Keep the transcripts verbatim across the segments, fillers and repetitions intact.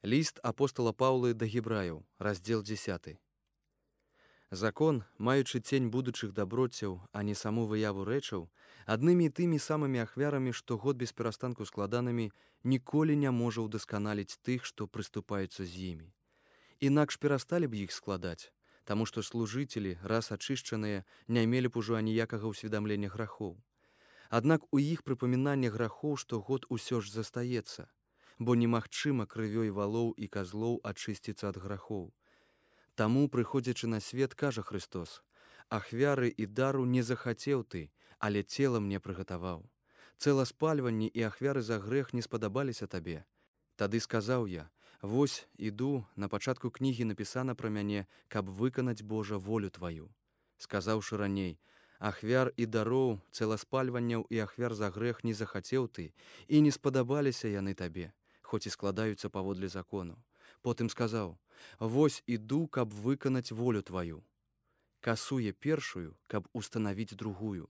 Ліст апостала Паўлы да гебраяў, раздзел дзесяты. Закон, маючы цень будучых даброцяў, а не саму выяву рэчаў, аднымі і тымі самымі ахвярамі, штогод без перастанку складанымі, ніколі не можа ўдасканаліць тых, што прыступаюцца з імі. Інакш перасталі б іх складаць, таму што служыцелі, раз ачышчаныя, не мелі б ужо аніякага ўсведамлення грахоў. Аднак у іх прыпамінанне грахоў штогод усё ж застаецца, бо немагчыма крывёй валоў і казлоў ачысціцца ад грахоў. Таму, прыходзячы на свет, кажа Христос: «Ахвяры і дару не захацеў ты, але цела мне прыгатаваў. Цэласпальванні і ахвяры за грэх не спадабаліся табе. Тады сказаў я: вось, іду, на пачатку кнігі напісана пра мяне, каб выканаць, Божа, волю тваю. Сказаўшы раней: ахвяр і дароў, цэласпальванняў і ахвяр за грэх не захацеў ты, і не спадабаліся яны табе, хоць і складаюцца паводле закону. Потым сказаў: вось іду, каб выканаць волю тваю. Касуе першую, каб устанавіць другую.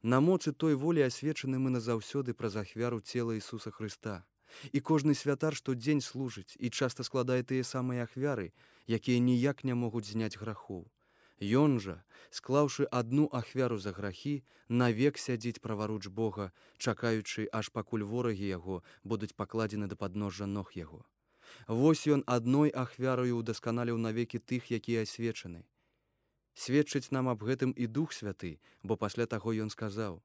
На моцы той волі асвечаны мы назаўсёды праз ахвяру цела Ісуса Хрыста. І кожны святар штодзень служыць і часта складае тыя самыя ахвяры, якія ніяк не могуць зняць грахоў. Ён жа, склаўшы адну ахвяру за грахі, навек сядзіць праваруч Бога, чакаючы, аж пакуль ворагі яго будуць пакладзены да падножжа ног яго. Вось ён адной ахвярою удасканаліў навекі тых, якія асвечаны. Сведчыць нам аб гэтым і Дух Святы, бо пасля таго ён сказаў: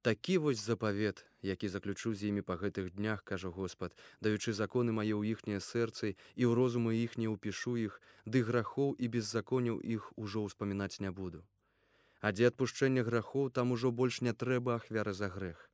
такі вось запавет, які заключу з імі па гэтых днях, кажа Господ, даючы законы мае ў іхнія сэрцы, і ў розумы іхнія ўпішу іх, ды грахоў і беззаконяў іх ужо ўспамінаць не буду. А дзе адпушчэння грахоў, там ужо больш не трэба ахвяры за грэх.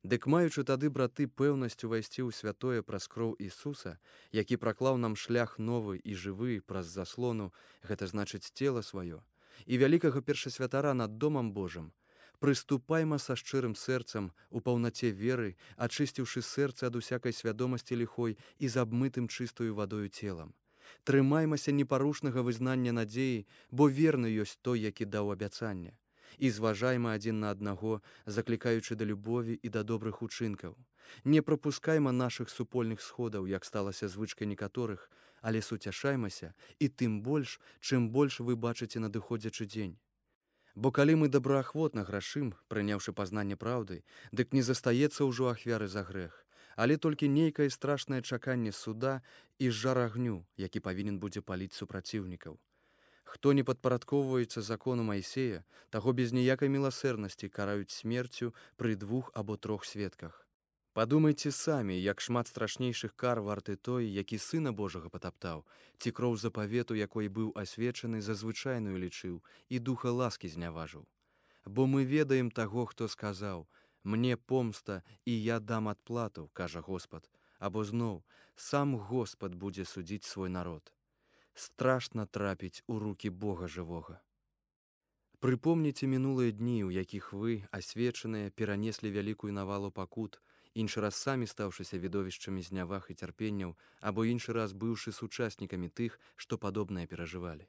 Дык маючы тады, браты, пэўнасць увайсці ў святое праз кроў Ісуса, які праклаў нам шлях новы і жывы праз заслону, гэта значыць цела сваё, і вялікага першасвятара над домам Божым, прыступайма са шчырым сэрцам, у паўнаце веры, ачысціўшы сэрца ад усякай свядомасці ліхой і з абмытым чыстою вадою целам. Трымаймася непарушнага вызнання надзеі, бо верны ёсць той, які даў абяцанне. І зважайма адзін на аднаго, заклікаючы да любові і да добрых учынкаў. Не прапускайма нашых супольных сходаў, як сталася звычкай некаторых, але суцяшаймася, і тым больш, чым больш вы бачыце надыходзячы дзень. Бо калі мы добраахвотна грашым, прыняўшы пазнанне праўды, дык не застаецца ўжо ахвяры за грэх, але толькі нейкае страшнае чаканне суда і жар агню, які павінен будзе паліць супраціўнікаў. Хто не падпарадкоўваецца закону Майсея, таго без ніякай міласэрнасці караюць смерцю пры двух або трох сведках. Падумайце самі, як шмат страшнейшых кар варты той, які Сына Божага патаптаў, ці кроў запавету, якой быў асвечаны, за звычайную лічыў і духа ласкі зняважыў. Бо мы ведаем таго, хто сказаў: «Мне помста, і я дам адплату», кажа Господ, або зноў: «Сам Господ будзе судзіць свой народ». Страшна трапіць у рукі Бога жывога. Прыпомніце мінулыя дні, у якіх вы, асвечаныя, перанеслі вялікую навалу пакут, іншы раз самі стаўшыся відовішчамі зняваг і цярпенняў, або іншы раз быўшы сучаснікамі тых, што падобнае перажывалі.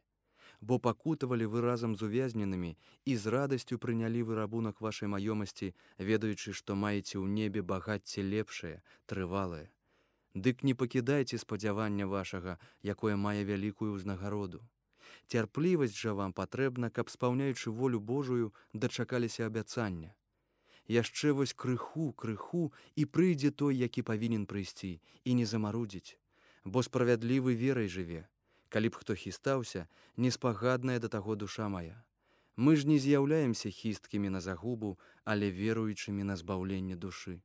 Бо пакутавалі вы разам з увязненымі і з радасцю прынялі вы рабунак вашай маёмасці, ведаючы, што маеце ў небе багацце лепшае, трывалае. Дык не пакідайце спадзявання вашага, якое мае вялікую ўзнагароду. Цярплівасць жа вам патрэбна, каб, спаўняючы волю Божую, дачакаліся абяцання. Яшчэ вось крыху, крыху, і прыйдзе той, які павінен прыйсці, і не замарудзіць. Бо справядлівы верай жыве. Калі б хто хістаўся, неспагадная да таго душа мая. Мы ж не з'яўляемся хісткімі на загубу, але веруючымі на збаўленне душы.